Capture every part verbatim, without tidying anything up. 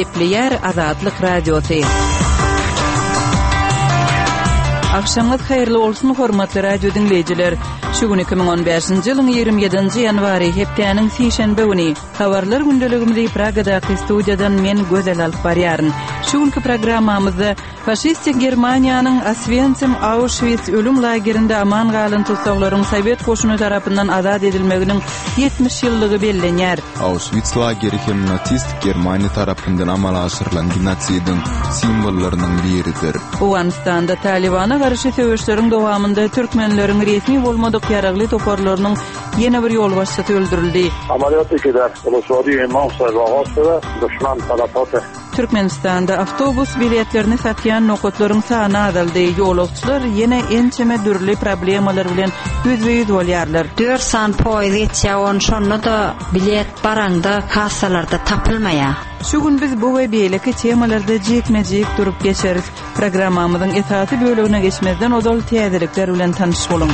Gepleýär Azatlyk Radiosy. Agşamyňyz haýyrly bolsun, hormatly radio diňleýjiler. Şu gün iki müň on bäşinji ýylyň ýigrimi ýedinji ýanwary, hepdäniň sişenbe güni. Habarlar gündeligimizi Pragadaky studiýadan men Gözel alyp barýaryn. Şu günki programmamyzda faşistik Germaniýanyň Oswensim Auschwitz ölüm lagerinde aman galan tussaglaryň Sowet goşuny tarapyndan azat edilmeginiň ýetmiş ýyllygy bellenýär. Auschwitz lageri hem nasistik Germaniýa tarapyndan amala aşyrylan genosidiň simwollarynyň biridir. Owganystanda Talibana garşy söweşleriň dowamynda türkmenleriň resmi bolmadyk ýaragly toparlarynyň ýene bir ýolbaşçysy öldürildi. Amaliyat ki der Uluslararası İmam Sahibi düşman talafatı. Türkmenistanda awtobus biletlerini satýan nokatlaryň sany azaldy. Ýolagçylar ýene ençeme dürli problemalar bilen ýüzbe-ýüz bolýarlar. Dört san poýuz geçýär, on şonda da bilet baranda kassalarda tapylmaýar. Şu gün biz bu we beýleki temalarda jikme-jik durup geçeris. Programmamyzyň esasy bölegine geçmezden ozal täzelikler bilen tanyş boluň.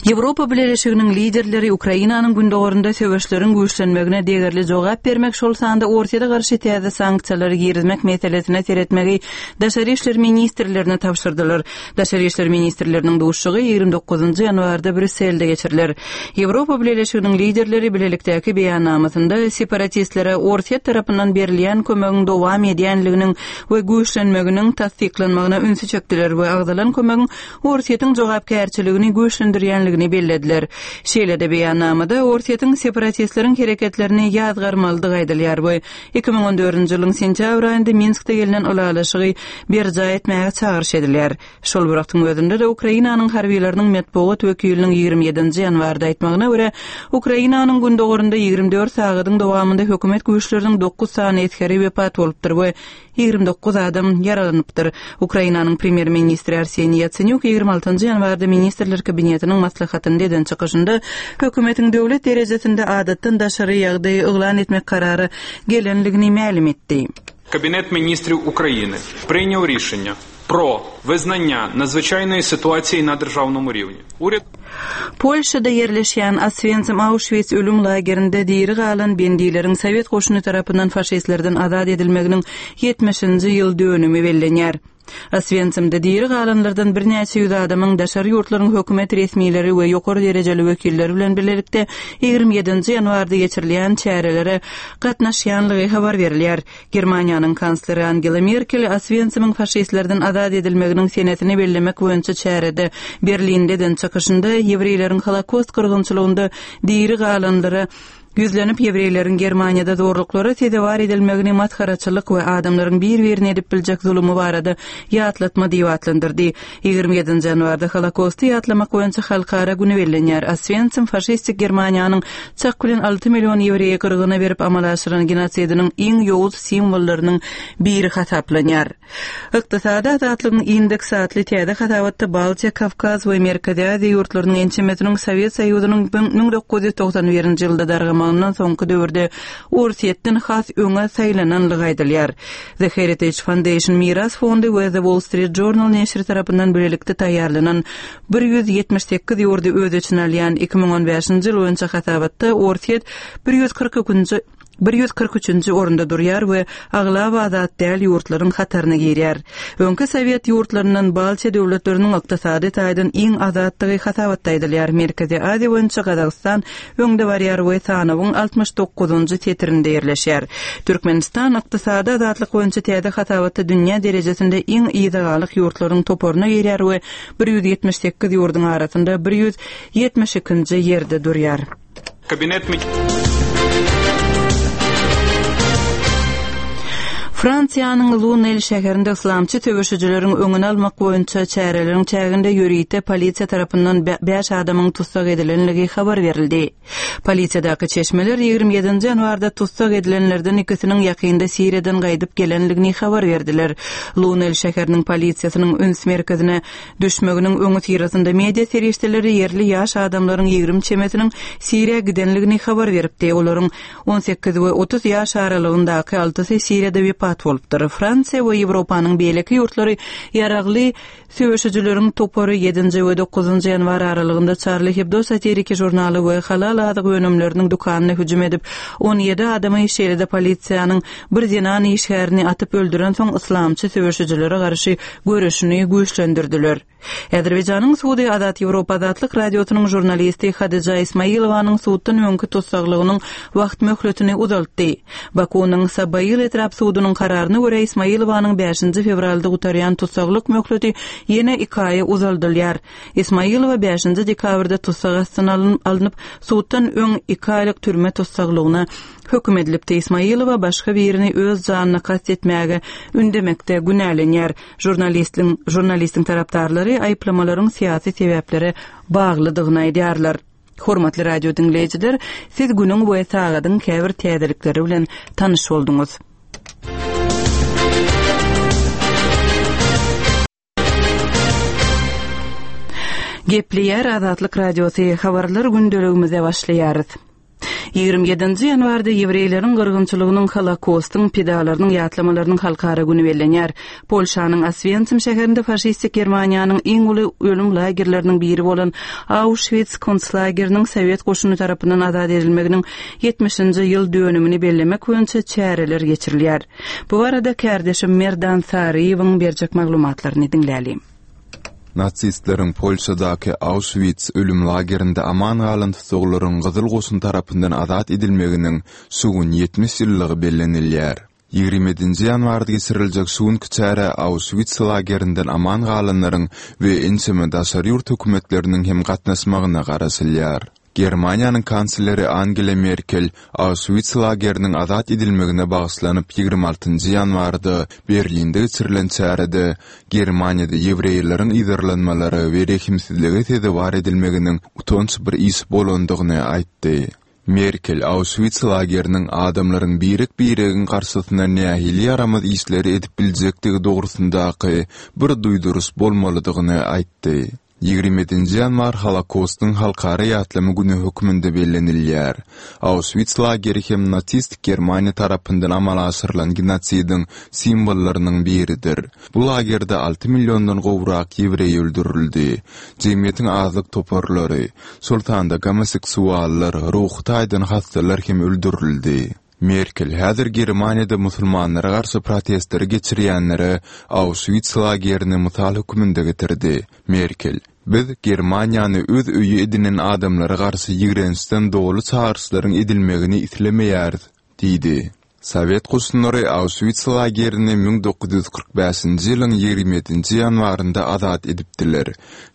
Ýewropa Bileleşiginiň liderleri Ukrainanyň gündogarynda söweşleriň güýçlenmegine degerli jogap bermek, şol sanda Orsýete garşy täze sanksiýalary girizmek meselesine seretmegi Daşary işler ministrlerine tabşyrdylar. Daşary işler ministrleriniň duşuşygy ýigrimi dokuzynjy ýanwarda Brýusselde geçiriler. Ýewropa Bileleşiginiň liderleri bilelikdäki beýannamasynda separatistlere Orsýet tarapyndan berilýän kömegiň dowam edýänliginiň we güýçlenmeginiň tassyklanmagyna ünsi çekdiler we agzalan kömegiň Orsýetiň jogapkärçiligini güýçlendirýänligini bellediler. Şeýle-de beýannamada Orsýetiň separatistleriň hereketlerini ýazgarmalydygy aýdylýar we iki müň on dördünji ýylyň sentýabr aýynda Minskde gelnen ylalaşygy berjaý etmäge çagyryş edilýär. Şol bir wagtyň özünde-de Ukrainanyň harbiýlarynyň metbugat wekiliniň ýigrimi ýedinji ýanwarda aýtmagyna görä, Ukrainanyň gündogarynda ýigrimi dört sagadyň dowamynda hökümet güýçleriniň dokuz sany esgeri wepat bolupdyr we ýigrimi dokuz adam ýaralanypdyr. Ukrainanyň premýer-ministri Arseniý Ýatsenýuk ýigrimi altynjy ýanwarda Ministrler Kabinetiniň maslahatynda eden çykyşynda hökümetiň döwlet derejesinde adatdan daşary ýagdaýy yglan etmek karary gelenligini mälim etdi. Kabinet ministrів Ukrainy принял рішення про визнання надзвичайної ситуації на державному рівні. Уряд Polşada ýerleşýän Oswensim Auschwitz ölüm lagerinde diri galan bendileriň Sowet goşuny tarapyndan faşistlerden azat edilmeginiň ýetmişinji ýyl dönümi bellenýär. Oswensimde diri galanlardan birnäçe ýüz adamyň daşary ýurtlaryň hökümet resmileri we ýokary derejeli wekilleri bilen birlikde ýigrimi ýedinji ýanwarda geçirilýän çärelere gatnaşýanlygy habar berilýär. Germaniýanyň kansleri Angela Merkel Oswensimiň faşistlerden azat edilmeginiň senesini bellemek boýunça çärede Berlindeden çykyşynda ýewreýleriň Holokost gyrgynçylygynda diri galanlara ýüzlenip ýewreýleriň Germaniýada zorluklara sezewar edilmegini masgaraçylyk we adamlaryň bir-birine edip biljek zulumy barada ýatlatma diýip atlandyrdy. Ýigrimi ýedinji ýanwarda Holokosty ýatlamak boýunça halkara güni bellenýär. Oswensim faşistik Germaniýanyň çak bilen alty million ýewreýi gyrgyna berip amala aşyran genosidiniň iň ýowuz simwollarynyň biri hasaplanýar. Ykdysady azatlygyň indeks atly täze hasabatda Baltiýa, Kawkaz we Merkezi Aziýa ýurtlarynyň ençemesiniň Sowet Soýuzynyň müň dokuz ýüz togsan birinji ýylda dargamagyndan soňky döwürde Orsýetden has öňe saýlananlygy aýdylýar. The Heritage Foundation Miras Fondy we The Wall Street Journal neşiri tarapyndan birlikde taýýarlanan bir ýüz ýetmiş sekiz ýurdy öz içine alýan iki müň on bäşinji ýyl boýunça hasabatda Orsýet bir ýüz kyrk ikinji bir ýüz kyrk üçünji orunda durýar we aglaba azat däl ýurtlaryň hataryna girýär. Öňki Sowet ýurtlaryndan Baltiýa döwletleriniň ykdysady taýdan iň azatdygy hasabatda aýdylýar. Merkezi Aziýa boýunça Gazagystan öňde barýar we sanawyň altmyş dokuzynjy setirinde ýerleşýär. Türkmenistan ykdysady azatlyk boýunça täze hasabatda dünýä derejesinde iň yzagalyk ýurtlaryň toparyna girýär we bir ýüz ýetmiş sekiz ýurduň arasynda bir ýüz ýetmiş ikinji ýerde durýar. Kabinet mi- Fransiýanyň Lunel şäherinde islamçy söweşijileriň öňüni almak boýunça çäreleriň çäginde ýörite polisiýa tarapyndan bä-, bäş adamyň tussag edilenligi habar berildi. Polisiýadaky çeşmeler ýigrimi ýedinji ýanwarda tussag edilenlerden ikisiniň ýakynda Siriýadan gaýdyp gelenligini habar berdiler. Lunel şäheriniň polisiýasynyň üns merkezine düşmeginiň öňi syrasynda media serişdeleri ýerli ýaş adamlaryň ýigrimi çemesiniň Siriýa gidenligini habar beripdi. Olaryň on sekiz we otuz ýaş aralygyndaky altysy Siriýada wepat wepat bolupdyr. Fransiýa we Ýewropanyň beýleki ýurtlary ýaragly söweşijileriň topary ýedinji we dokuzynjy ýanwar aralygynda Charlie Hebdo satiriki žurnaly we halal azyk önümleriniň dükanyna hüjüm edip, on ýedi adamy, şeýle-de polisiýanyň bir zenan işgärini atyp öldüren soň yslamçy söweşijilere garşy göreşini güýçlendirdiler. Azerbaýjanyň sudy Azat Ýewropa Azatlyk Radiosynyň žurnalisti Hadyja Ismailowanyň suddan öňki tussaglygynyň wagt möhletini uzaltdy. Bakunyň Sabaýyl etrap sudunyň kararyna görä Ismailowanyň bäşinji fewralda gutarýan tussaglyk möhleti ýene iki aýa uzaldylýar. Ismailowa bäşinji dekabrda tussag astyna alnyp, suddan öň iki aýlyk türme tussaglygyna höküm edilipdi. Ismailowa başga birini öz janyna kast etmäge ündemekde günälenýär. Žurnalistiň, žurnalistiň tarapdarlary aýyplamalaryň syýasy sebäplere baglydygyny aýdýarlar. Hormatly radio diňleýjiler, siz günüň we sagadyň käbir täzelikleri bilen tanyş bolduňyz. Gepleýär Azatlyk Radiosy, habarlar gündeligimize başlaýarys. Ýigrimi ýedinji ýanwarda ýewreýleriň gyrgynçylygynyň Holokostyň pidalarynyň ýatlamalarynyň halkara güni bellenýär. Polşanyň Oswiensim şäherinde faşistik Germaniýanyň iň uly ölüm lagerleriniň biri bolan Auschwitz konslageriniň Sowet goşuny tarapyndan azat edilmeginiň ýetmişinji ýyl dönümini bellemek boýunça çäreler geçirilýär. Bu barada kärdeşim Merdan Saryýewiň berjek maglumatlaryny diňlälim. Nazistleriň Polşadaky Auschwitz ölüm lagerinde aman galan tussaglaryň Gyzyl goşun tarapyndan azat edilmeginiň şu gün ýetmiş ýyllygy bellenilýär. Ýigrimi ýedinji ýanwarda geçiriljek şu günki çäre Auschwitz lagerinden aman galanlaryň we ençeme daşary ýurt hökümetleriniň hem gatnaşmagyna garaşylýar. Germaniýanyň kansleri Angela Merkel Auschwitz lageriniň azat edilmegine bagyşlanyp ýigrimi altynjy ýanwarda Berlinde geçirilen çärede Germaniýada ýewreýleriň yzarlanmalary we rehimsizlige sezewar edilmeginiň utanç bir iş bolandygyny aýtdy. Merkel Auschwitz lageriniň adamlaryň birek-biregiň garşysyna nähili ýaramaz işleri edip biljekdigi dogrusyndaky bir duýduryş bolmalydygyny aýtdy. Ýigrimi ýedinji ýanwar Holokostyň halkara ýatlama güni hökmünde bellenilýär. Auschwitz lageri hem nasistik Germaniýa tarapyndan amala aşyrylan genosidiň simwollarynyň biridir. Bu lagerde alty milliondan gowrak ýewreý öldürildi. Jemgyýetiň azlyk toparlary, şol sanda gomoseksuallar, ruhy taýdan hastalar hem öldürildi. Merkel häzir Germaniýada musulmanlara garşy protestleri geçirýänlere Auschwitz lagerini mysal hökmünde getirdi. Merkel, biz Germaniýany öz öýi edinen adamlara garşy ýigrençden doly çagyryşlaryň edilmegini islemeýäris, diýdi. Sowet goşunlary Auschwitz lagerini müň dokuz ýüz kyrk bäşinji ýylyň ýigrimi ýedinji ýanwarynda azat edipdiler.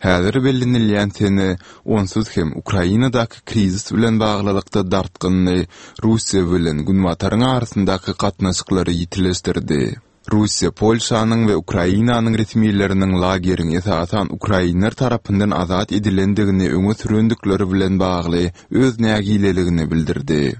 Häzir bellenilýän sene onsuz hem Ukrainadaky krizis bilen baglylykda dartgynly Russiýa bilen Günbataryň arasyndaky gatnaşyklary ýitileşdirdi. Russiýa Polşanyň we Ukrainanyň resmileriniň lageriň esasan ukrainler tarapyndan azat edilendigini öňe sürendikleri bilen bagly öz nägileligini bildirdi.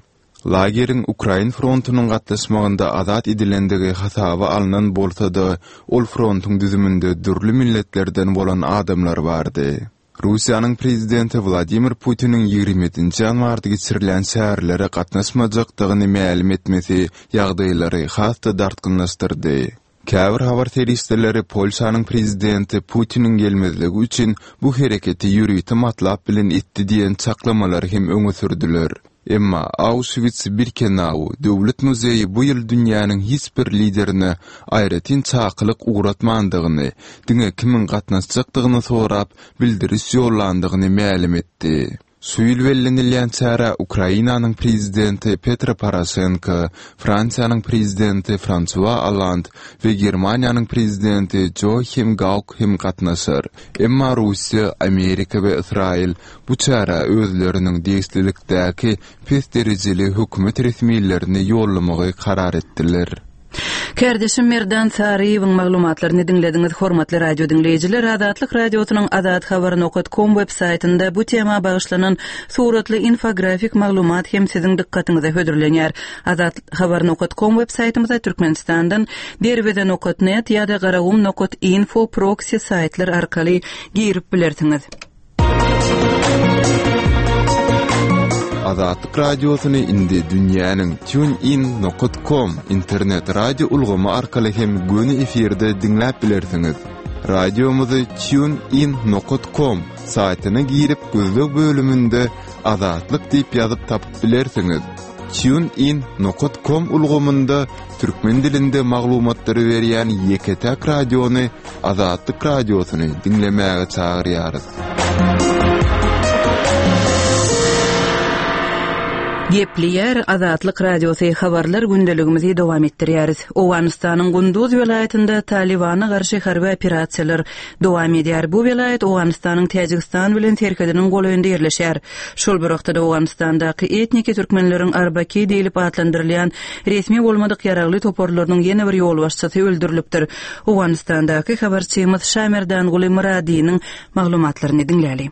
Lageriň Ukrain frontunyň gatnaşmagynda azat edilendigi hasaba alnan bolsa-da, ol frontuň düzüminde dürli milletlerden bolan adamlar bardy. Russiýanyň prezidenti Wladimir Putiniň ýigrimi ýedinji ýanwarda geçirilen çärelere gatnaşmajakdygyny mälim etmesi ýagdaýlary has-da dartgynlaşdyrdy. Käbir habar serişdeleri Polşanyň prezidenti Putiniň gelmezligi üçin bu hereketi ýörite matlap bilen etdi diýen çaklamalary hem öňe sürdüler. Emma Auschwitz-Birkenau döwlet muzeýi bu ýyl dünýäniň hiç bir liderine aýratyn çakylyk ugratmandygyny, diňe kimiň gatnaşjakdygyny sorap bildiriş ýollandygyny mälim etdi. Şu ýyl bellenilýän çärä Ukrainanyň prezidenti Petro Poroşenko, Fransiýanyň prezidenti Fransua Hollande we Germaniýanyň prezidenti Joachim Gauck hem gatnaşar. Emma Russiýa, Amerika we Ysraýyl bu çärä özleriniň degişlilikdäki pes derejeli hökümet resmilerini ýollamagy karar etdiler. Kärdeşim Merdan Saryýewiň maglumatlaryny diňlediňiz. Hormatly radio diňleýjiler, Azatlyk Radiosynyň Azat Habar nokta com web saýtynda bu tema bagyşlanan suratly infografik maglumat hem siziň dykgatyňyza hödürlenýär. Azat Habar nokta com web saýtymyza Türkmenistandan derweze nokta net ýa-da garagum nokta info proxy saýtlar arkaly girip bilersiňiz. Azatlyk Radiosyny indi dünýäniň tunein nokat com internet radio ulgamy arkaly hem göni efirde diňläp bilersiňiz. Radiomyzy tunein nokat com saýtyna girip gözleg bölüminde Azatlyk diýip ýazyp tapyp bilersiňiz. TuneIn nokat com ulgamynda türkmen dilinde maglumatlary berýän ýeke-täk radiony Azatlyk Radiosyny diňlemäge çagyrýarys. Gepleýär Azatlyk Radiosy habarlar gündeligimizi dowam etdirýäris. Owganystanyň Gunduz welaýatynda Talibana garşy harby operasiýalar dowam edýär. Bu welaýat Owganystanyň Täjigistan bilen serhediniň golaýynda ýerleşýär. Şol bir wagtda Owganystandaky etniki türkmenleriň Arbaki diýlip atlandyrylýan resmi bolmadyk ýaragly toparlarynyň ýene bir ýolbaşçysy öldürilipdir. Owganystandaky habarçymyz Şamerdanguly Myradynyň maglumatlaryny diňläli.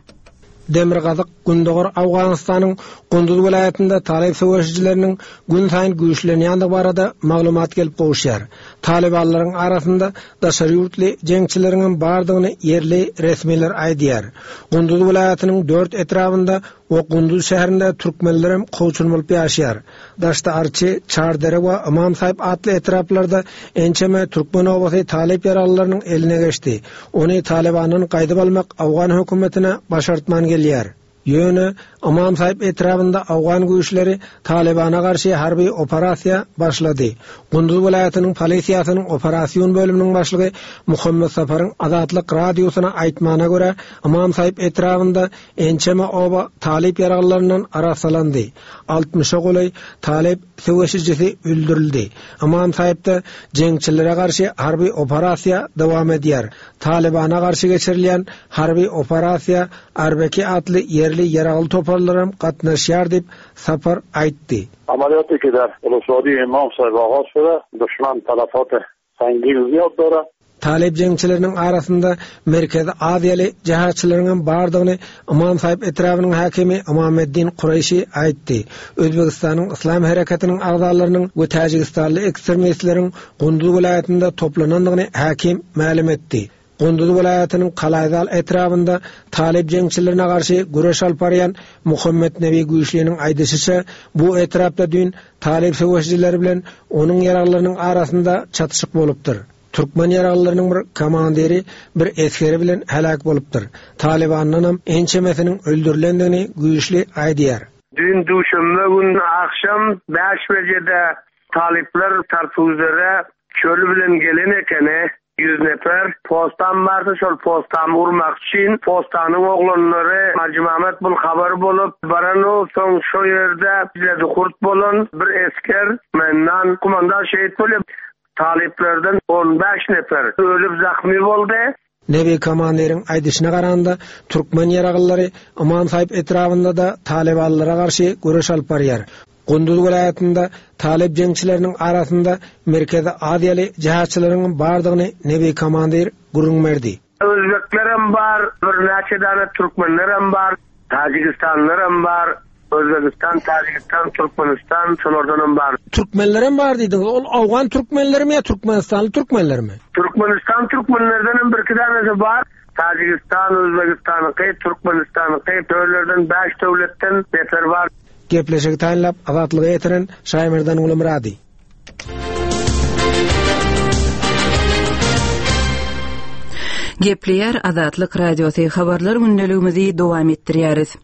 Demirgazyk Gündogar Owganystanyň Gunduz welaýatynda Talib söweşijileriniň gün saýyn güýçlenýändigi barada maglumat gelip gowuşýar. Talibanlaryň arasynda daşary ýurtly jeňçileriň hem bardygyny ýerli resmiler aýdýar. Gunduz welaýatynyň dört etrabynda we Gunduz şäherinde türkmenler hem kowçun bolup ýaşaýar. Daşda Arçy, Çardere we Ymam Saýyp atly etraplarda ençeme türkmen obasy Talip ýaraglylarynyň eline geçdi. Ony Talibandan gaýdyp almak Awgan hökümetine başartman gelýär. Ýöne Ymam Saýyp etrabynda Awgan güýçleri Talibana garşy harby operasiýa başlady. Gunduz welaýatynyň polisiýasynyň operasyon bölüminiň başlygy Muhammed Safaryň Azatlyk radiosyna aýtmagyna görä, Ymam Saýyp etrabynda ençeme oba Talip ýaraglylaryndan arassalandy. Altmyşa golaý Talip söweşijisi öldürildi. Ymam Saýypda jeňçilere garşy harby operasiýa dowam edýär. Talibana garşy geçirilýän harby operasiýa Arbeki atly ýerli ýaragly toparlaram gatnaşýar diýip Safar aýtdy. عملیاتی که در ولسوالی امام صاحب آغاز شده دشمن تلفات سنگین زیاد داره. Talip jeňçileriniň arasynda Merkezi Aziýaly jihatçylaryň hem bardygyny Ymam Saýyp etrabynyň hakimi Ymameddin Kureýşi aýtdy. Özbegistanyň Islam hereketiniň agzalarynyň we Täjigistanly ekstremistleriň Gunduz welaýatynda toplanandygyny hakim mälim etdi. Gunduz welaýatynyň Kalaýzal etrabynda Talip jeňçilerine garşy güreş alyp barýan Muhammed Nebi Güýçliniň aýdyşyça, bu etrapda düýn Talip söweşijileri bilen onuň ýaraglylarynyň arasynda çatyşyk bolupdyr. Türkmen ýaraglylarynyň bir komandiri bir esgeri bilen helak bolupdyr. Talibandan hem ençemesiniň öldürilendigini Güýçli aýdýar. Düýn duşenbe gün akşam bäş bejede Talipler tarpuzlara çölü bilen gelen ekeni ýüz nefer postan bardy, şol postan urmak üçin postanyň oglanlary Hajy Mehmet bul habar bolup baranu soň şo ýerde bize kurt bolan bir esker mendan kumandan şehit bolup Taliplerden on bäş nefer ölüp zahmi boldy. Nebi komandiriň aýdyşyna garanda türkmen ýaraglyary Ymam Saýyp etrabynda da Talibanlara garşy güreş alyp barýar. Gunduz welaýatynda Talip jeňçileriniň arasynda Merkezi Aziýaly jihatçylaryň bardygyny Nebi komandir gürrüň berdi. Özbeklerem bar, birnäçe däne türkmenlerem bar, Tajikistanlarem bar, Özbekistan, Tajigistan, Türkmenistan, şolardanam bar. Türkmenlerem bar diýdiňiz. Ol Awgan türkmenlerimi ýa Türkmenistanly türkmenlermi? Türkmenistan türkmenlerdenem bir iki dänesi bar. Tajigistan, Özbekistanyňky, Türkmenistanyňky, döwletlerden bäş döwletden nefer bar. Gepleşigi taýynlap Azatlyga ýetiren Şaýmerdan Gulumyrady. Gepleýär Azatlyk Radiosy habarlar gündeligimizi dowam etdirýäris.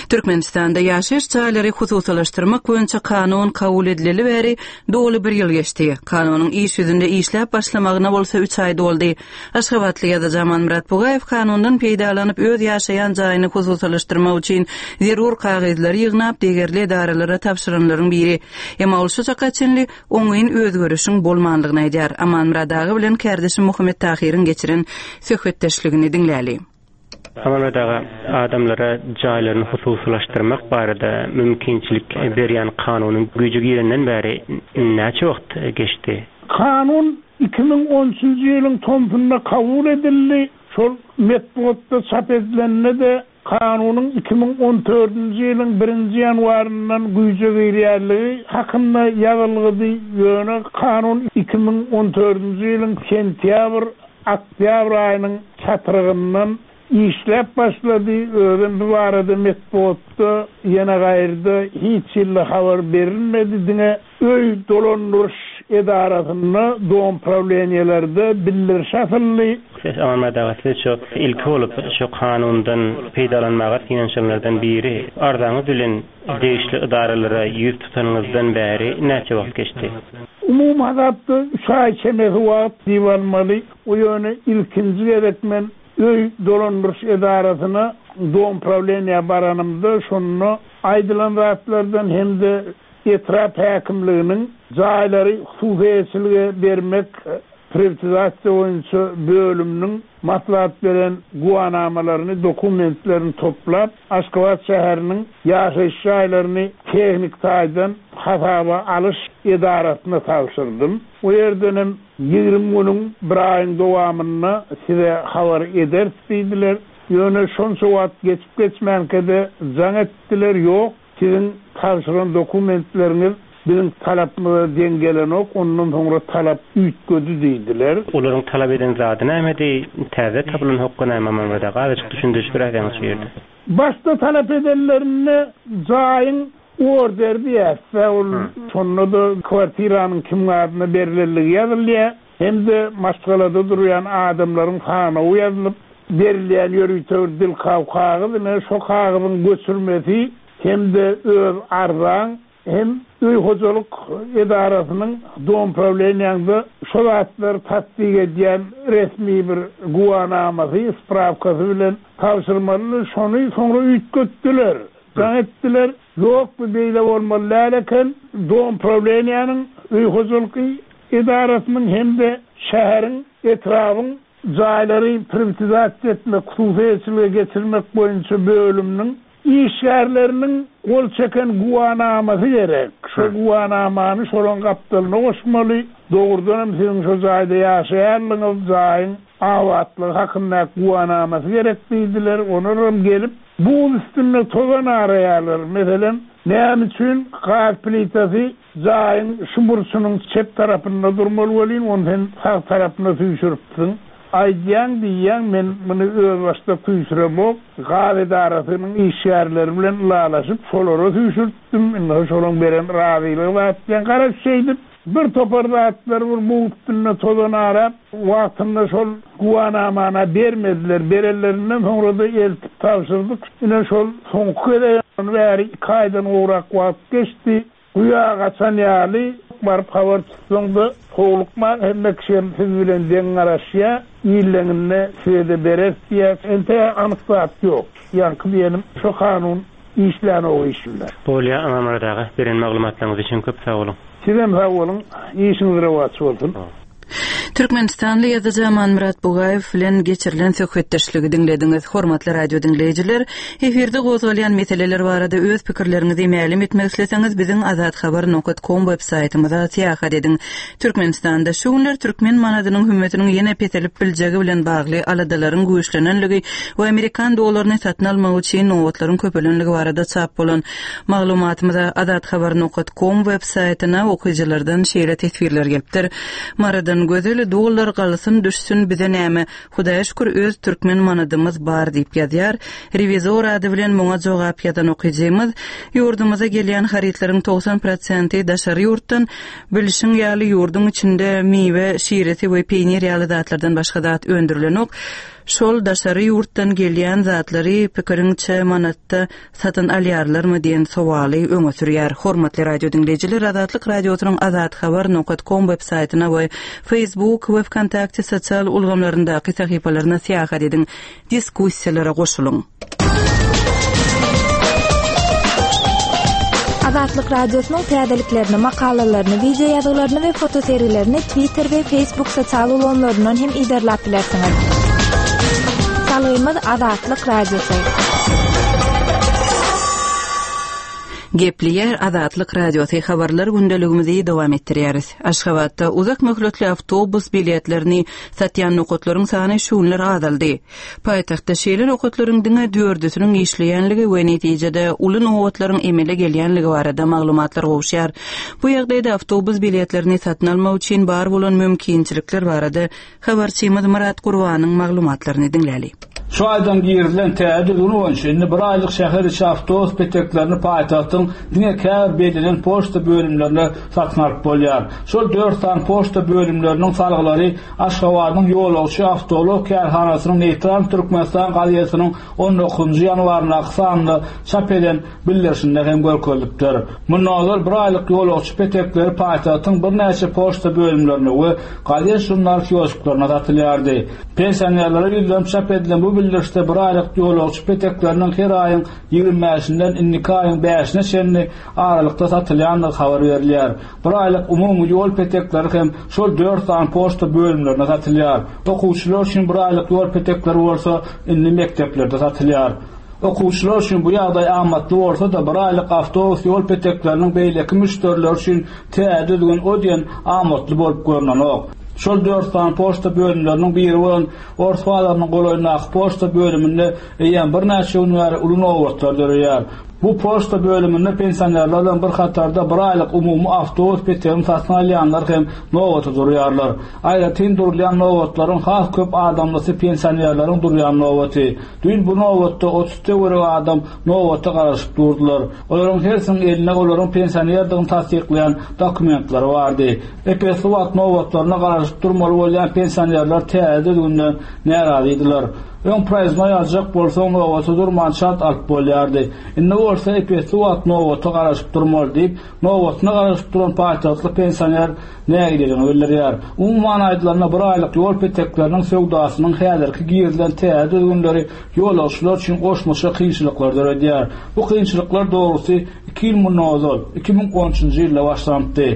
Türkmenistanda ýaşaýyş jaýlary hususylaşdyrmak boýunça kanun kabul edileli bäri doly bir ýyl geçdi. Kanunyň iş ýüzünde işläp başlamagyna bolsa üç aý doldy. Aşgabatly ýazyjy Amanmyrat Bugaýew kanundan peýdalanyp öz ýaşaýan jaýyny hususylaşdyrmak üçin zerur kagyzlary ýygnap degerli edaralara tabşyranlaryň biri. Emma ol şu çaka çenli oňyn özgerişiň bolmanlygyny aýdýar. Amanmyrat aga bilen kardeşim Muhammet Tahyryň geçiren söhbetdeşligini diňläli. Amanmyrat aga, adamlara jaýlaryny hususylaşdyrmak barada mümkinçilik berýän kanunyň güýji girenden bäri näçe wagt geçdi? Kanun iki müň on üçünji ýylyň tomsunda kabul edildi. Şol metbugatda çap edilende de kanunyň iki müň on dördünji ýylyň birinji ýanwaryndan güýje girýärligi hakynda ýazylgydy. Ýöne kanun iki müň on dördünji ýylyň sentýabr, oktýabr aýynyň çatrygyndan Işläp başlady, özüm bu barada metbugatda ýene gaýrda hiç ýylla habar berilmedi, diňe öý dolandyryş edarasynda, dom prawleniýelerde bildiriş asyldy. Siz Amanmyrat aga, siz şu ilki bolup şu kanundan peýdalanmaga synanyşanlardan biri. Arzaňyz bilen degişli edaralara ýüz tutanyňyzdan bäri näçe wagt geçdi? Umumy hasapda üç aý çemesi wagt diýip almaly. O ýöne ilkinji gezek men öý dolandyryş edarasyna dom prawleniýä baranymda şonda aýdylan zatlardan hem-de etrap häkimliginiň jaýlary hususyýetçilige bermek privatizasiýa boýunça bölüminiň maslahat beren guwanamalaryny, dokumentlerini toplap, Aşgabat şäheriniň ýaşaýyş jaýlaryny tehnik taýdan hasaba alyş edarasyna tabşyrdym. O ýerden hem ýigrimi günüň bir aýyň dowamynda size habar ederis diýdiler. Ýöne şonça wagt geçip geçmänkä-de jaň etdiler, ýok, siziň tabşyran dokumentleriňiz biziň talapymyza deň gelenok, ondan soňra talap üýtgedi diýdiler. Olaryň talap eden zady nämedi? Täze tapylan hokga näme Amanmyrat aga? Azajyk düşündiriş beräýseňiz şu ýerde. Başda talap edenlerinde jaýyň order diýäs-de, ol şonda-da kwartiranyň kim adyna berilendigi ýazylýar, hem-de maşgalada durýan adamlaryň sanawy ýazylyp, berilýän ýörite bir dilkaw kagyz, ine şo kagyzyň göçürmesi hem-de öz arzaň, hem öý hojalyk edarasynyň dom prawleniýaňda şo zatlary tasdik edýän resmi bir guwanamasy, spravkasy bilen tabşyrmaly, şony soňra üýtgetdiler. Jaň etdiler, ýok bu beýle bolmaly däl eken, dom prawleniýanyň öý hojalyk edarasynyň hem-de şäheriň, etrabyň jaýlary privatizasiýa etmek, hususyýetçilige geçirmek boýunça bölüminiň işgärleriniň gol çeken guwanamasy gerek. Şo guwanamany şolaň gapdalyna goşmaly. Dogrudan hem siziň şo jaýda ýaşaýanlygyňyz, jaýyň abatlygy hakynda guwanamasy gerek diýdiler. Olar hem gelip buz üstünde tozan araýarlar. Meselem, näme üçin gaz plitasy jaýyň şu burçunyň çep tarapynda durmaly welin, ony sen sag tarapyna süýşüripsiň. Aýdýaň diýýäň, men muny özbaşdak süýşüremok. Gaz edarasynyň işgärleri bilen ylalaşyp, şolara süýşürtdim. Indi şolaň beren razylygy bar diýen. Garaş şeýdip, bir topar zatlar bir buz üstünde tozan arap, wagtynda şol guwanamana bermediler. Berenlerinden soňra da eltip tabşyrdyk. Ine şol soňky gezek bäri iki aýdan gowrak wagt geçdi. Güýä gaçan ýaly baryp habar tutsaň-da, howlukman hemme kişi hem siz bilen deň garaşýar, illeňinde size-de berer diýýär. Ente anyk zat ýok. Ýaňky diýenim, şo kanun işlän o işinde. Bolýa Amanmyrat aga, beren maglumatlaryňyz üçin köp sag boluň. Sizem sag boluň, işiňiz rowaç bolsun. Türkmenistanly ýazyjy Amanmyrat Bugaýew bilen geçirilen söhbetdeşligi diňlediňiz. Hormatly radio diňleýjiler, efirde gozgalýan meseleler barada öz pikirleriňizi mälim etmek isleseňiz, biziň azathabar nokta com web saýtymyza syýahat ediň. Türkmenistanda şu günler türkmen manadynyň hümmetiniň ýene peselip biljegi bilen bagly aladalaryň güýçlenenligi we amerikan dollaryny satyn almak üçin nobatlaryň köpelenligi barada çap bolan maglumatymyza azathabar nokta com web saýtyna okyjylardan şeýle teswirler gelipdir. Maradan gözel dollar galsyn düşsün bize näme? Hudaýa şükür öz türkmen manadymyz bar diýip ýazýar. Rewizor ady bilen muňa jogap ýazan okyjymyz, ýurdumyza gelýän harytlaryň togsan prosenti daşary ýurtdan, bilşiň ýaly ýurduň içinde miwe, şiresi we peýnir ýaly zatlardan başga zat öndürilenok. Şol daşary ýurtdan gelýän zatlary pikiriňçe manatda satyn alýarlarmy diýen sowaly öňe sürýär. Hormatly radio diňleýjiler, Azatlyk radiosynyň azathabar nokta com web saýtyna we Facebook we Vkontakte sosial ulgamlaryndaky sahypalaryna syýahat ediň. Diskussiýalara goşulyň. Azatlyk radiosynyň täzeliklerini, makalalaryny, video ýazgylaryny we fotosergilerini Twitter we Facebook sosial ulgamlaryndan hem iderläp bilersiňiz. Salgymyz Azatlyk Radiosy. Gepleýär Azatlyk Radiosy habarlar gündeligimizi dowam etdirýäris. Aşgabatda uzak möhletli awtobus biletlerini satýan nokatlaryň sany şu günler azaldy. Paýtagtda şeýle nokatlaryň diňe dördüsiniň işleýänligi we netijede uly nobatlaryň emele gelýänligi barada maglumatlar gowuşýar. Bu ýagdaýda awtobus biletlerini satyn almak üçin bar bolan mümkinçilikler barada habarçymyz Murat Gurbanyň maglumatlaryny diňläli. Şu aýdan girizilen täze düzgün boýunça indi bir aýlyk şäher içi awtobus peteklerini paýtagtyň diňe käbir bellenen poçta bölümlerinde satyn alyp bolýar. Şol dört sany poçta bölümleriniň salgylary Aşgabadyň ýolagçy awtoulag kärhanasynyň Neýtral Türkmenistan gazetiniň on dokuzynjy ýanwaryndaky sanynda çap eden bildirişinde hem görkezilipdir. Mundan ozal bir aýlyk ýolagçy petekleri paýtagtyň birnäçe poçta bölümlerinde we gazet-žurnal kiosklarynda satylýardy. Pensionerlere ýüzlenip çap edilen bu bildirişde bir aýlyk ýolagçy petekleriniň her aýyň ýigrimi bäşinden indiki aýyň bäşine çenli aralykda satylýandygy habar berilýär. Bir aýlyk umumy ýol petekleri hem şol dört sany poçta bölümlerinde satylýar. Okuwçylar üçin bir aýlyk ýol petekleri bolsa indi mekdeplerde satylýar. Okuwçylar üçin bu ýagdaý amatly bolsa-da bir aýlyk awtobus ýol petekleriniň beýleki müşderiler üçin täze düzgün o diýen amatly bolup görnenok. Şol dört sany poçta bölümleriniň biri bolan Ors bazarynyň golaýyndaky poçta bölüminde eýýäm birnäçe gün bäri uly nobatlar döreýär. Bu poçta bölüminde pensionerler bilen bir hatarda bir aýlyk umumy awtobus petegini satyn alýanlar hem nobata durýarlar. Aýratyn durulýan nobatlaryň has köp adamlysy pensionerleriň durýan nobaty. Düýn bu nobatda otuz töweregi adam nobata garaşyp durdular. Olaryň hersiniň elinde olaryň pensionerdigini tassyklaýan dokumentleri bardy. Epesli wagt nobatlaryna garaşyp durmaly bolýan pensionerler täze düzgünden närazydylar. Öň proýezdnoý aljak bolsaň nobata durman çalt alyp bolýardy. Indi bolsa epesli wagt nobata garaşyp durmaly diýip, nobatyna garaşyp duran paýtagtly pensioner nägileligini bildirýär. Umuman aýdylanda bir aýlyk ýol petekleriniň söwdasynyň häzirki girizilen täze düzgünleri ýolagçylar üçin goşmaça kynçylyklar döredýär. Bu kynçylyklar dogrusy iki ýyl mundan ozal, iki müň on üçünji ýylda başlanypdy.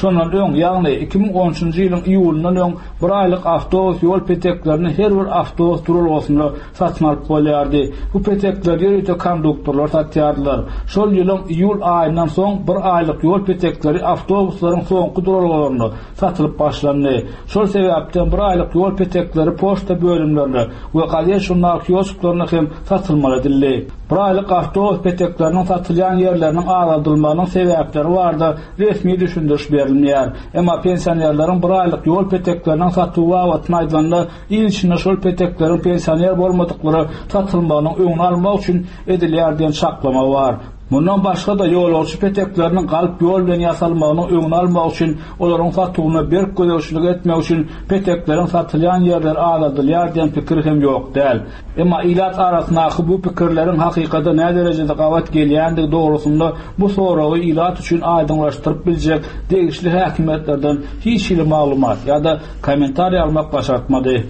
Şondan öň, ýagny iki müň on üçünji ýylyň iýulyndan öň bir aýlyk awtobus ýol peteklerini her bir awtobus duralgasynda satyn alyp bolýardy. Bu petekleri ýörite konduktorlar satýardylar. Şol ýylyň iýul aýyndan soň bir aýlyk ýol petekleri awtobuslaryň soňky duralgalarynda satylyp başlandy. Şol sebäpden bir aýlyk ýol petekleri poçta bölümlerinde we gazet-žurnal kiosklarynda hem satylmaly edildi. Bir aýlyk awtobus petekleriniň satylýan ýerleriniň azaldylmagynyň sebäpleri barada resmi düşündiriş berilmeýär. Emma pensionerleriň bir aýlyk ýol petekleriniň satuwy babatynda aýdylanda il içinde şol petekleriň pensioner bolmadyklara satylmagynyň öňüni almak üçin edilýär diýen çaklama bar. Mundan başga-da ýolagçy petekleriniň galp ýol bilen ýasalmagynyň öňüni almak üçin olaryň satuwyna berk gözegçilik etmek üçin petekleriň satylýan ýerleri azaldylýar diýen pikir hem ýok däl. Emma ilat arasyndaky bu pikirleriň hakykata näderejede derejede gabat gelýändigi dogrusynda bu soragy ilat üçin aýdyňlaşdyryp biljek degişli häkimiýetlerden hiç hili maglumat ýa-da kommentariý almak başartmady.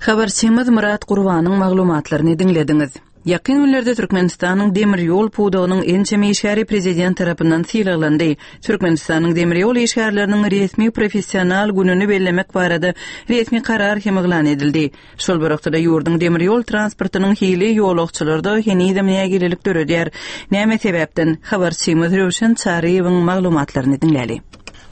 Habarçymyz Murat Gurbanyň maglumatlaryny diňlediňiz. Ýakyn günlerde Türkmenistanyň demir ýol pudagynyň ençeme işgäri prezident tarapyndan sylaglandy. Türkmenistanyň demir ýol işgärleriniň resmi professional gününi bellemek barada resmi karar hem yglan edildi. Şol bir wagtda ýurduň demir ýol transportynyň hili ýolagçylarda henizem nägilelik döredýär. Näme sebäpden habarçymyz Röwşen Çaryýewiň maglumatlaryny diňläli.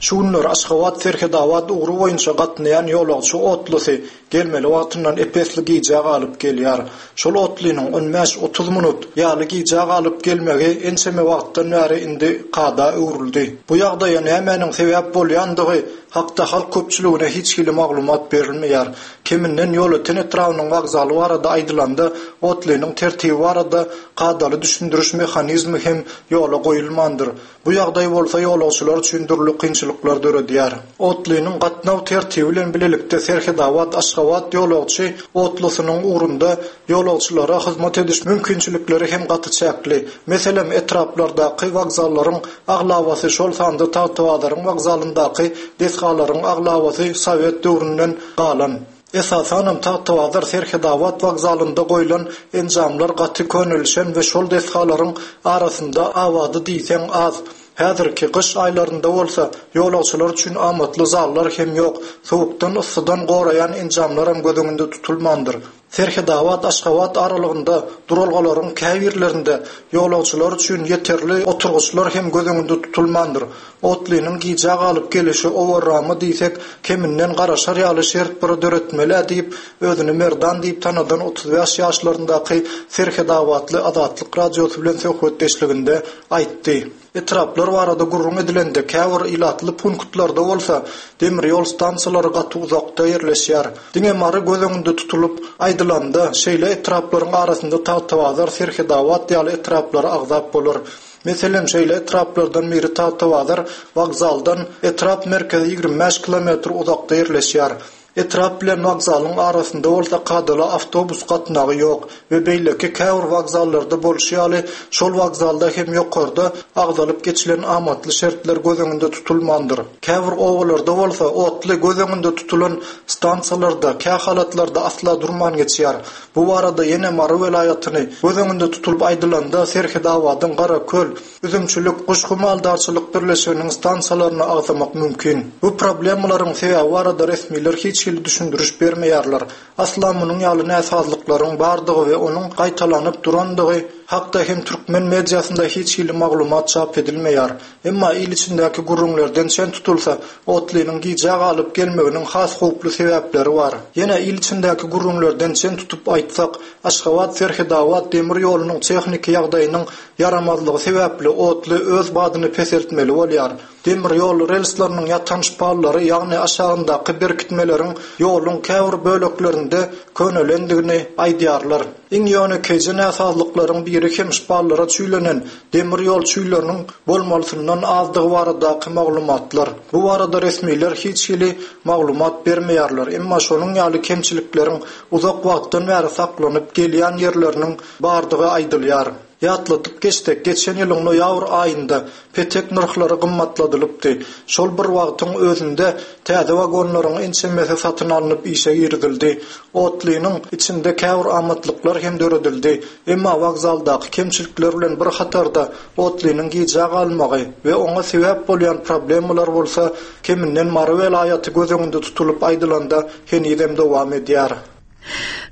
Şu günler Aşgabat Serhetabat ugry boýunça gatnaýan ýolagçy otlusy gelmeli wagtyndan epesli gijä galyp gelýär. Şol otlynyň on bäş otuz minut ýaly gijä galyp gelmegi ençeme wagtdan bäri indi kada öwrüldi. Bu ýagdaýa nämäniň sebäp bolýandygy hakda halk köpçüligine hiç hili maglumat berilmeýär. Keminden Ýolöten etrabynyň wokzaly barada aýdylanda otlynyň tertibi barada kadaly düşündiriş mehanizmi hem ýola goýulmandyr. Bu ýagdaý bolsa ýolagçylar üçin dürli kynçylyklar döredýär. Otlynyň gatnaw tertibi bilen bilelikde Serhetabat Aşgabat ýolagçy otlusynyň ugrunda ýolagçylara hyzmat ediş mümkinçilikleri hem gaty çäkli. Meselem, etraplardaky wokzallaryň aglabasy, şol sanda Tagtabazaryň wokzalyndaky desgalaryň aglabasy Sowet döwründen galan. Esasanam Tagtabazar Serhetabat wokzalynda goýlan enjamlar gaty könelişen we şol desgalaryň arasynda abady diýseň az. Häzirki gyş aýlarynda bolsa ýolagçylar üçin amatly zallar hem ýok. Soğukdan yssydan goraýan enjamlar hem göz öňünde tutulmandyr. Serhetabat Aşgabat aralygynda duralgalaryň käbirlerinde ýolagçylar üçin ýeterli oturgyçlar hem göz öňünde tutulmandyr. Otlynyň gijä galyp gelişi owarramy diýsek, keminden garaşar ýaly şert bir döretmeli diýip, özüni Merdan diýip tanadan otuz bäş ýaşlaryndaky Serhetabatly Azatlyk radiosy bilen söhbetdeşliginde aýtdy. Etraplar barada gürrüň edilende, käbir ilatly punktlarda bolsa demir ýol stansiýalary gaty uzakda ýerleşýär. Diňe Mary göz öňünde tutulyp aýdylanda, şeýle etraplaryň arasynda Tagtabazar, Serhedabat ýaly etraplary agzap bolar. Meselem, şeýle etraplardan biri Tagtabazar wokzaldan etrap merkezi ýigrimi bäş kilometr uzakda ýerleşýär. Etrap bilen wokzalyň arasynda bolsa kadaly awtobus gatnawy ýok we beýleki käbir wokzallarda bolşy ýaly şol wokzalda hem ýokarda agzalyp geçilen amatly şertler göz öňünde tutulmandyr. Käbir obalarda bolsa otly göz öňünde tutulan stansiýalarda kähalatlarda asla durman geçýär. Bu barada ýene Mary welaýatyny göz öňünde tutulyp aýdylanda Serhedabadyň Garaköl, Üzümçilik, Guşgy maldarçylyk birleşiginiň stansiýalaryny agzamak mümkin. Bu problemalaryň sebäbi barada resmiler hiç hili düşündiriş bermeýärler. Asla munuň ýaly näsazlyklaryň bardygy we onuň gaýtalanyp durandygy hakda hem türkmen mediasynda hiç hili maglumat çap edilmeýär. Emma il içindäki gürrüňlerden çen tutulsa, otlynyň gijä galyp gelmeginiň has howply sebäpleri bar. Ýene il içindäki gürrüňlerden çen tutup aýtsak, Aşgabat-Serhedabat demir ýolunyň tehniki ýagdaýynyň ýaramazlygy sebäpli otly öz badyny peseltmeli bolýar. Demir ýol relsleriniň ýatan şpallary, ýagny aşagyndaky berkitmeleriň ýoluň käbir böleklerinde könelendigini aýdýarlar. Iň ýönekeýje näsazlyklaryň biri hem şpallara çüýlenen demir ýol çüýleriniň bolmalysyndan azdygy baradaky maglumatlar. Bu barada resmiler hiç hili maglumat bermeýärler, emma şonuň ýaly kemçilikleriň uzak wagtdan bäri saklanyp gelýän ýerleriniň bardygy aýdylýar. Ýatladyp geçsek, geçen ýylyň noýabr aýynda petek nyrhlary gymmatladylypdy. Şol bir wagtyň özünde täze wagonlaryň ençemesi satyn alnyp işe girizildi. Otlynyň içinde käbir amatlyklar hem döredildi. Emma wokzaldaky kemçilikler bilen bir hatarda otlynyň gijä galmagy we oňa sebäp bolýan problemalar bolsa keminden Mary welaýaty göz öňünde tutulyp aýdylanda henizem dowam edýär.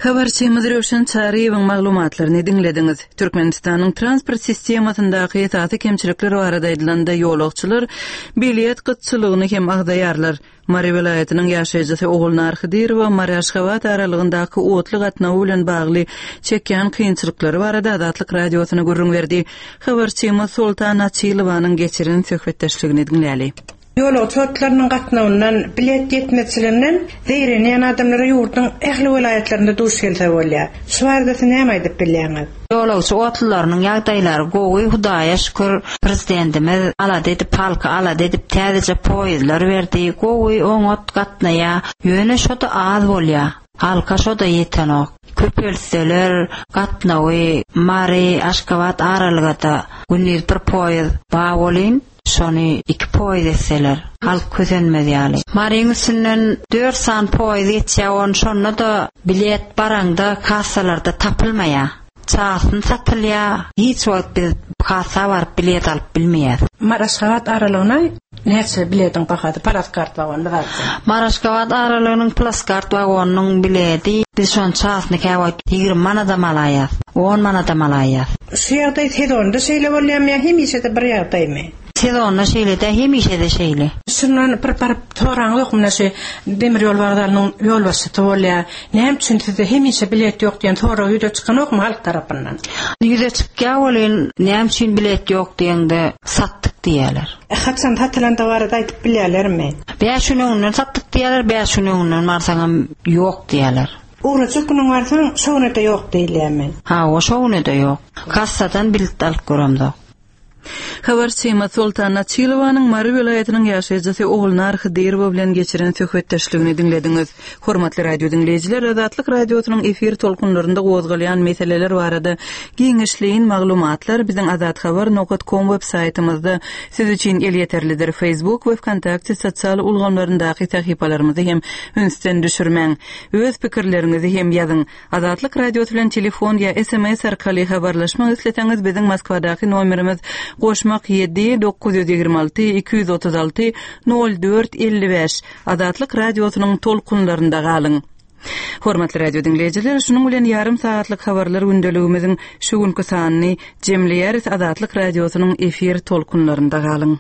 Habarçymyz Röwşen Çaryýewiň maglumatlaryny diňlediňiz. Türkmenistanyň transport sistemasyndaky esasy kemçilikler barada aýdylanda ýolagçylar bilet gytçylygyny hem agzaýarlar. Mary welaýatynyň ýaşaýjysy Ogulnar Hydyrowa Mary-Aşgabat aralygyndaky otly gatnawy bilen bagly çekýän kynçylyklary barada Azatlyk Radiosyna gürrüň berdi. Habarçymyz Soltan Açylowanyň geçiren söhbetdeşligini diňläli. Ýolagçy otlarynyň gatnawyndan, bilet ýetmezçiliginden zeýrenýän adamlara ýurduň ähli welaýatlarynda duş gelse bolýar. Şu barada siz näme aýdyp bilýäňiz? Ýolagçy otlylarynyň ýagdaýlary gowy, Hudaýa şükür, prezidentimiz alada edip, halky alada edip täzeje poýezdler berdi. Gowy, oňat gatnaýar. Ýöne şo-da az bolýar. Halka şo-da ýetenok. Köpeltseler gatnawy Mary, Aşgabat aralygada gündiz bir poýezd bar bolyn, şony iki poýezd etseler, halk kösenmez ýaly. Maryň üstünden dört sany poýezd geçýär, on şonda-da bilet baraňda kassalarda tapylmaýar. Çasyny satylýar, hiç wagt biz kassa baryp bilet alyp bilmeýäs. Mary-Aşgabat aralygyna näçe biletiň bahasy plaskart wagonda bar? Mary-Aşgabat aralygynyň plaskart wagonynyň bileti biz şony çasyny käwagt ýigrimi manadam alaýas, on manadam alaýas. Şu ýagdaý sezonda şeýle bolýarmy ýa hemişe-de bir ýagdaýmy? Sezonda şeýle-de, hemişe-de şeýle. Şundan bir baryp soraňyz ýokmy, mine şu demir ýol wokzalynyň ýolbaşçysy bolýar. Näme üçin sizde hemişe bilet ýok diýen sorag ýüze çykanokmy halk tarapyndan? Ýüze çykýar welin, näme üçin bilet ýok diýende satdyk diýýärler. Haçan satylanda barada aýdyp bilýärlermi? Bäş gün öňünden satdyk diýýärler, bäş gün öňünden barsaňam ýok diýýärler. Ugrajak günüň barsaň, şo güne-de ýok diýilýärmi? Hawa, şo güne-de ýok. Kassadan bilet alyp göremzok. Habarçymyz Soltan Açylowanyň Mary welaýatynyň ýaşaýjysy Ogulnar Hydyrowa bilen geçiren söhbetdeşligini diňlediňiz. Hormatly radio diňleýjiler, Azatlyk Radiosynyň efir tolkunlarynda gozgalýan meseleler barada giňişleýin maglumatlar biziň azathabar nokta com web saýtymyzda siz üçin elýeterlidir. Facebook we VKontakte sosial ulgamlaryndaky sahypalarymyzy hem ünsden düşürmäň. Öz pikirleriňizi hem ýazyň. Azatlyk Radiosy bilen telefon ýa S M S arkaly habarlaşmak isleseňiz biziň Moskwadaky nomerimiz goşmak ýedi dokuz ýüz ýigrimi alty iki ýüz otuz alty nol dört elli bäş. Azatlyk Radiosynyň tolkunlarynda galyň. Hormatly radio diňleýjiler, şunuň bilen ýarym saatlyk habarlar gündeligimiziň şu günki sanyny jemleýäris. Azatlyk Radiosynyň efir tolkunlarynda galyň.